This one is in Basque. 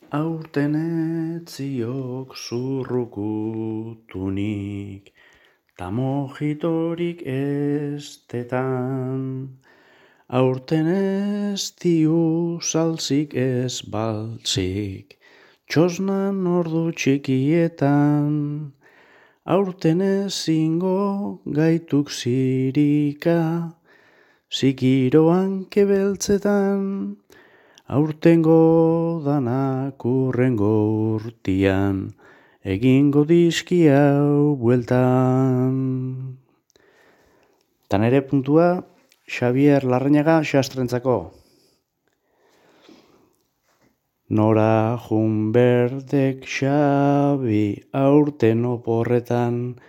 Aurten etziok zurrukutunik, ta mojitorik estetan. Aurten ez diu salzik ez baltzik, txosnan ordu txikietan. Aurten ezingo gaituk zirika, zikiroan kebeltzetan. Aurtengo danak urrengo urtian, egingo dizki hau bueltan. Ta nere puntua, Xabier Larrañaga xastrentzako. Nora jun berdek Xabi, aurten oporretan.